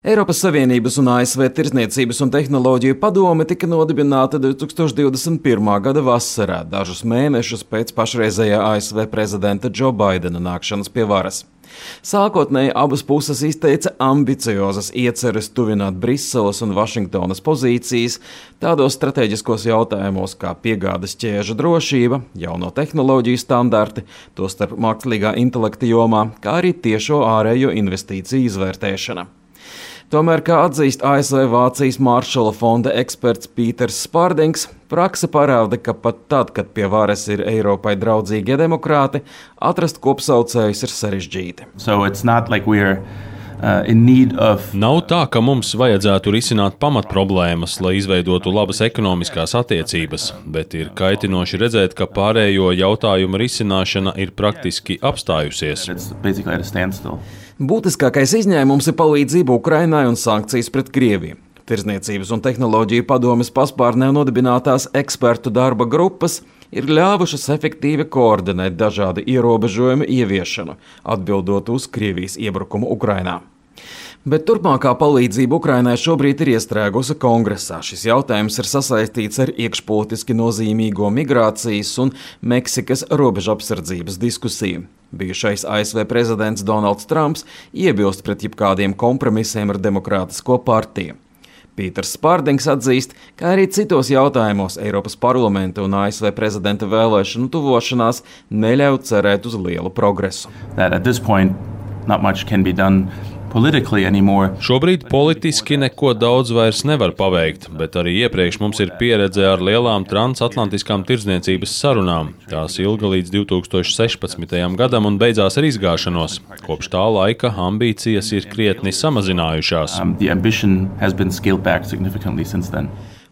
Eiropas Savienības un ASV Tirdzniecības un tehnoloģiju padome tika nodibināta 2021. gada vasarā, dažus mēnešus pēc pašreizējā ASV prezidenta Džo Baidena nākšanas pie varas. Sākotnēji abas puses izteica ambiciozas ieceres tuvināt Briseles un Vašingtonas pozīcijas tādos strateģiskos jautājumos kā piegādes ķēžu drošība, jauno tehnoloģiju standarti, tostarp mākslīgā intelekta jomā, kā arī tiešo ārējo investīciju izvērtēšana. Tomēr, kā atzīst ASV Vācijas Maršala fonda eksperts Pīters Spārdings, prakse parāda, ka pat tad, kad pie varas ir Eiropai draudzīgie demokrāti, atrast kopsaucējus ir sarežģīti. Nav tā, ka mums vajadzētu risināt pamatproblēmas, lai izveidotu labas ekonomiskās attiecības, bet ir kaitinoši redzēt, ka pārējo jautājumu risināšana ir praktiski apstājusies. Būtiskākais izņēmums ir palīdzība Ukrainai un sankcijas pret Krieviju. Tirdzniecības un tehnoloģiju padomes paspārnē nodibinātās ekspertu darba grupas ir ļāvušas efektīvi koordinēt dažādu ierobežojumu ieviešanu, atbildot uz Krievijas iebrukumu Ukrainā. Bet turpmākā palīdzība Ukrainai šobrīd ir iestrēgusi Kongresā. Šis jautājums ir sasaistīts ar iekšpolitiski nozīmīgo migrācijas un Meksikas robežapsardzības diskusiju. Bijušais ASV prezidents Donalds Trumps iebilst pret jebkādiem kompromisiem ar Demokrātisko partiju. Pīters Spārdings atzīst, ka arī citos jautājumos Eiropas parlamenta un ASV prezidenta vēlēšanu tuvošanās neļauj cerēt uz lielu progresu. Šobrīd politiski neko daudz vairs nevar paveikt, bet arī iepriekš mums ir pieredze ar lielām transatlantiskām tirdzniecības sarunām. Tās ilga līdz 2016. gadam un beidzās ar izgāšanos. Kopš tā laika ambīcijas ir krietni samazinājušās.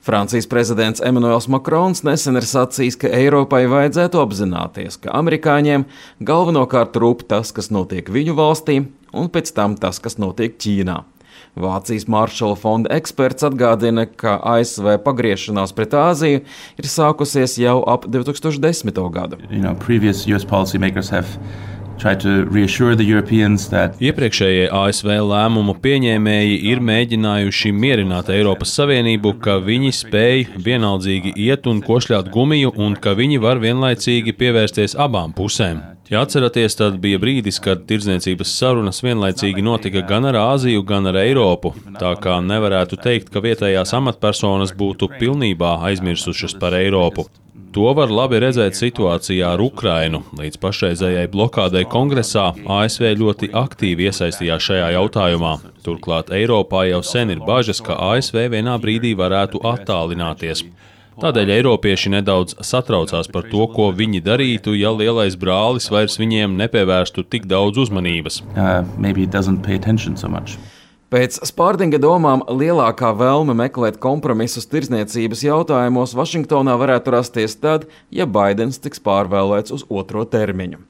Francijas prezidents Emmanuels Macrons nesen ir sacījis, ka Eiropai vajadzētu apzināties, ka amerikāņiem galvenokārt rūp tas, kas notiek viņu valstī, un pēc tam tas, kas notiek Ķīnā. Vācijas Maršala fonda eksperts atgādina, ka ASV pagriešanās pret Āziju ir sākusies jau ap 2010. gadu. Iepriekšējie ASV lēmumu pieņēmēji ir mēģinājuši mierināt Eiropas Savienību, ka viņi spēj vienaldzīgi iet un košļāt gumiju un ka viņi var vienlaicīgi pievērsties abām pusēm. Ja atceraties, tad bija brīdis, kad tirdzniecības sarunas vienlaicīgi notika gan ar Āziju, gan ar Eiropu, tā kā nevarētu teikt, ka vietējās amatpersonas būtu pilnībā aizmirsušas par Eiropu. To var labi redzēt situācijā ar Ukrainu. Līdz pašreizējai blokādei Kongresā ASV ļoti aktīvi iesaistījās šajā jautājumā. Turklāt Eiropā jau sen ir bažas, ka ASV vienā brīdī varētu attālināties. Tādēļ eiropieši nedaudz satraucās par to, ko viņi darītu, ja lielais brālis vairs viņiem nepievērstu tik daudz uzmanības. Pēc Spārdinga domām lielākā vēlme meklēt kompromisus tirdzniecības jautājumos Vašingtonā varētu rasties tad, ja Baidens tiks pārvēlēts uz otro termiņu.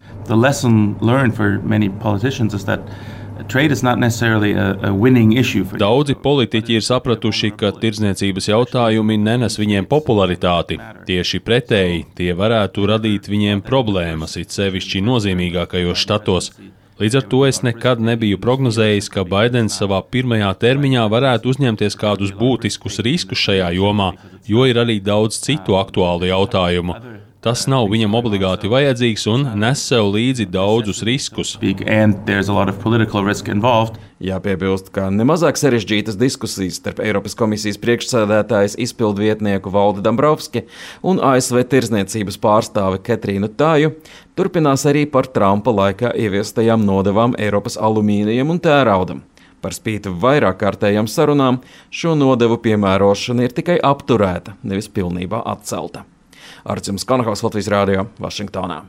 Daudzi politiķi ir sapratuši, ka tirdzniecības jautājumi nenes viņiem popularitāti. Tieši pretēji, tie varētu radīt viņiem problēmas, it sevišķi nozīmīgākajos štatos. Līdz ar to es nekad nebiju prognozējis, ka Baidens savā pirmajā termiņā varētu uzņemties kādus būtiskus riskus šajā jomā, jo ir arī daudz citu aktuālu jautājumu. Tas nav viņam obligāti vajadzīgs un nes sev līdzi daudzus riskus. Jāpiebilst, ka nemazāk sarežģītas diskusijas starp Eiropas komisijas priekšsēdētājas izpildvietnieku Valdi Dombrovski un ASV tirdzniecības pārstāvi Ketrīnu Tāju turpinās arī par Trumpa laikā ieviestajām nodevām Eiropas alumīnijam un tēraudam. Par spīti vairāk kārtējām sarunām šo nodevu piemērošana ir tikai apturēta, nevis pilnībā atcelta. Arcim Skanahovs, Latvijas Rādio, Vašingtonā.